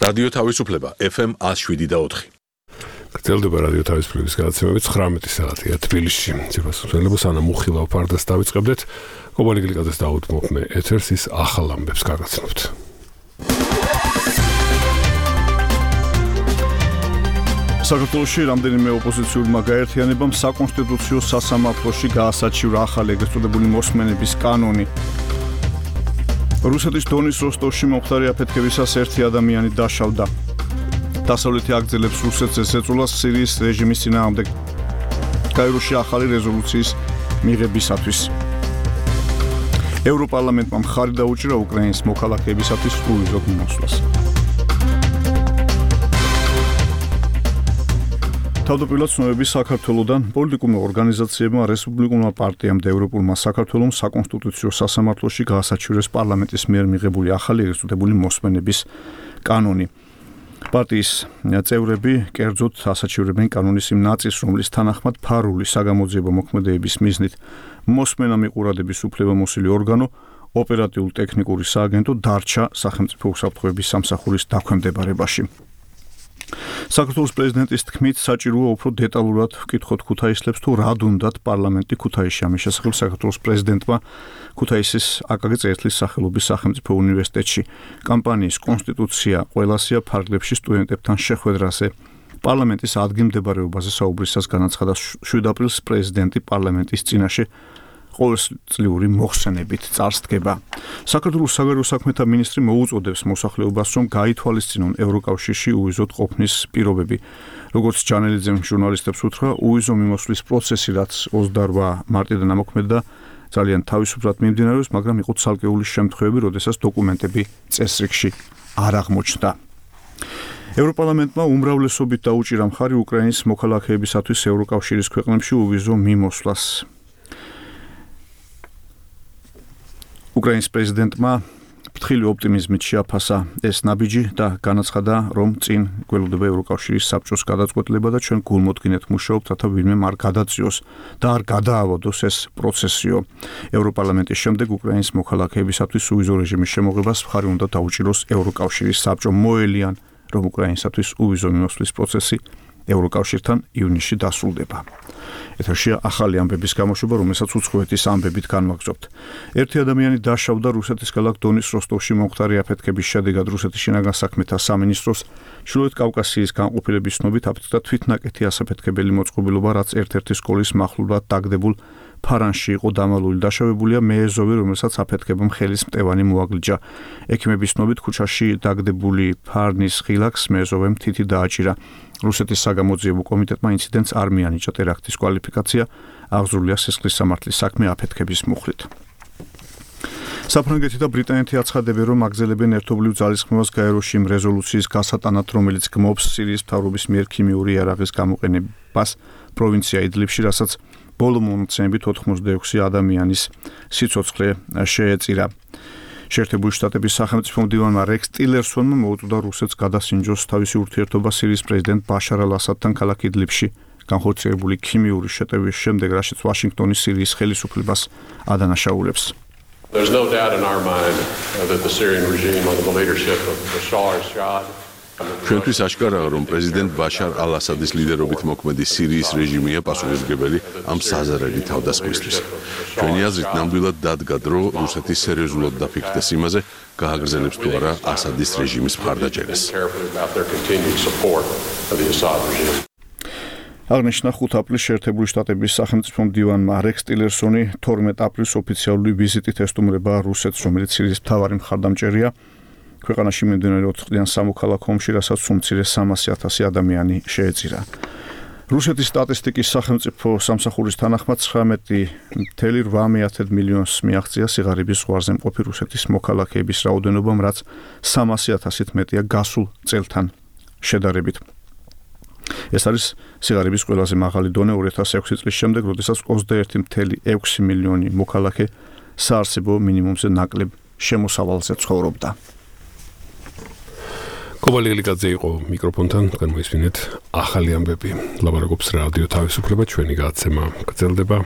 რადიო თავისუფლება FM 107.4. გრძელდება რადიო თავისუფლების გადაცემები 19 საათია თბილისში. ციფროსუსველებო სანამ უხილავ ფარდას დავიწყებდეთ, კობალი გლიკაძეს დაუთმობ მე ეთერს ის ახალ ამბებს გაგაცნობთ. საქართველოში რამდენიმე ოპოზიციურმა გაერთიანებამ საკონსტიტუციო სასამართლოში გაასაჩივრა ახალი ეგრეთ წოდებული მოსმენების კანონი. რუსეთის დონის როსტოვში მომხდარი აფეთქებისას ერთი ადამიანი დაშავდა. დასავლეთი აგრძელებს რუსეთზე ზეწოლას სირიის რეჟიმის წინააღმდეგ. კაიროში ახალი რეზოლუციის მიღებისათვის. ევროპარლამენტმა მხარი დაუჭირა უკრაინის მოქალაქეებისათვის უვიზოდ მიმოსვლას. თავდაპირველად ცნობები საქართველოდან პოლიტიკურმა ორგანიზაციებმა, რესპუბლიკურმა პარტიამ და ევროპულმა საქართველომ საკონსტიტუციო სასამართლოში გაასაჩივრეს პარლამენტის მიერ მიღებული ახალი ეგრეთ წოდებული მოსმენების კანონი. პარტიის წევრები კერძოდ ასაჩივრებენ კანონის იმ ნაწილს, რომლის თანახმად ფარული საგამოძიებო მოქმედებების მიზნით მოსმენა მიყურადების უფლებამოსილი ორგანო ოპერატიულ-ტექნიკური სააგენტო დარჩა სახელმწიფო უსაფრთხოების სამსახურის დაქვემდებარებაში. საქართველოს პრეზიდენტის თქმით, საჭიროა უფრო დეტალურად ვკითხოთ ქუთაისლებს თუ რად უნდათ პარლამენტი ქუთაისში. ამის შესახებ საქართველოს პრეზიდენტმა ქუთაისის აკაკი წერეთლის სახელობის სახელმწიფო უნივერსიტეტში კამპანიის კონსტიტუცია ყველასია ფარგლებში სტუდენტებთან შეხვედრაზე პარლამენტის ადგილმდებარეობაზე საუბრისას განაცხადა 7 აპრილს პრეზიდენტი პარლამენტის წინაშე ყოველწლიური მოხსენებით წარსდგება. საქართველოს საგარეო საქმეთა მინისტრი მოუწოდებს მოსახლეობას, რომ გაითვალისწინონ ევროკავშირში უვიზოდ ყოფნის პირობები. როგორც ჯანელიძემ ჟურნალისტებს უთხრა, უვიზო მიმოსვლის პროცესი, რაც 28 მარტიდან ამოქმედდა, ძალიან თავისუფლად მიმდინარეობს, მაგრამ იყო ცალკეული შემთხვევები, როდესაც დოკუმენტები წესრიგში არ აღმოჩნდა. ევროპარლამენტმა უმრავლესობით დაუჭირა მხარი უკრაინის მოქალაქეებისათვის ევროკავშირის ქვეყნებში უვიზო მიმოსვლას. უკრაინის პრეზიდენტმა ფრთხილი ოპტიმიზმით შეაფასა ეს ნაბიჯი და განაცხადა, რომ წინ გველოდება ევროკავშირის საბჭოს გადაწყვეტილება და ჩვენ გულმოდგინეთ მუშაობთ, რათა ვინმე არ გადაწიოს და არ გადაავადოს ეს პროცესიო. ევროპარლამენტის შემდეგ უკრაინის მოქალაქეებისათვის უვიზო რეჟიმის შემოღებას მხარი უნდა დაუჭიროს ევროკავშირის საბჭო. მოელიან, რომ უკრაინისათვის უვიზო მიმოსვლის პროცესი ევროკავშირთან ივნისში დასრულდება. ეთერშია ახალი ამბების გამოშვება, რომელსაც უცხოეთის ამბებით განვაგრძობთ. ერთი ადამიანი დაშავდა რუსეთის ქალაქ დონის როსტოვში მომხდარი აფეთქების შედეგად. რუსეთის შინაგან საქმეთა სამინისტროს ჩრდილოეთ კავკასიის განყოფილების ცნობით აფეთქდა თვითნაკეთი ასაფეთქებელი მოწყობილობა, რაც ერთ-ერთი სკოლის მახლობლად დაგდებულ ფარანში იყო დამალული. დაშავებულია მეეზოვი, რომელსაც აფეთქებამ ხელის მტევანი მოაგლიჯა. ექიმების ცნობით ქუჩაში დაგდებული ფარნის ღილაკს მეეზოვემ თითი დააჭირა. რუსეთის საგამოძიებო კომიტეტმა ინციდენტს არ მიანიჭა ტერაქტის კვალიფიკაცია, აღძრულია სისხლის სამართლის საქმე აფეთქების მუხლით. საფრანგეთი და ბრიტანეთი აცხადებენ, რომ აგრძელებენ ერთობლივ ძალისხმევას გაეროში იმ რეზოლუციის გასატანად, რომელიც გმობს სირიის მთავრობის მიერ ქიმიური იარაღის გამოყენებას პროვინცია იდლიბში, რასაც ბოლო მონაცემებით 86 ადამიანის სიცოცხლე შეეწირა. შეერთებული შტატების სახელმწიფო მდივანმა რექს ტილერსონმა მოუწოდა რუსეთს გადასინჯოს თავისი ურთიერთობა სირიის პრეზიდენტ ბაშარ ალ-ასადთან ქალაქ იდლიბში განხორციელებული ქიმიური შეტევის შემდეგ, რაშიც ვაშინგტონი სირიის ხელისუფლებას ადანაშაულებს. There's no doubt in our mind that the Syrian regime under the leadership of Bashar al-Assad ჩვენთვის აშკარაა, რომ პრეზიდენტ ბაშარ ალ-ასადის ლიდერობით მოქმედი სირიის რეჟიმია პასუხისმგებელი ამ საზარელი თავდასხმისთვის. ჩვენი აზრით ნამდვილად დადგა დრო რუსეთის სერიოზულად დაფიქრდეს იმაზე, გააგრძელებს თუ არა ასადის რეჟიმის მხარდაჭერას. აღნიშნა 5 აპრილს შეერთებული შტატების სახელმწიფო მდივანმა რექს ტილერსონი 12 აპრილს ოფიციალური ვიზიტით ესტუმრება რუსეთს, რომელიც სირიის მთავარი მხარდამჭერია. ქვეყანაში მიმდინარე 4 წლიან სამოქალაქო ომში, რასაც უმცირე 300,000 ადამიანი შეეწირა. რუსეთის სტატისტიკის სახელმწიფო სამსახურის თანახმად 19,8 მილიონს მიაღწია სიღარიბის ზღვარზე მყოფი რუსეთის მოქალაქეების რაოდენობამ, რაც 300,000-ით მეტია გასულ წელთან შედარებით. ეს არის სიღარიბის ყველაზე მაღალი დონე 2006 წლის შემდეგ, როდესაც 21,6 მილიონი მოქალაქე საარსებო მინიმუმზე ნაკლებ შემოსავალზე ცხოვრობდა. კობალი გლიკაძე იყო მიკროფონთან, თქვენ მოისმინეთ ახალი ამბები. ლაპარაკობს რადიო თავისუფლება, ჩვენი გადაცემა გრძელდება.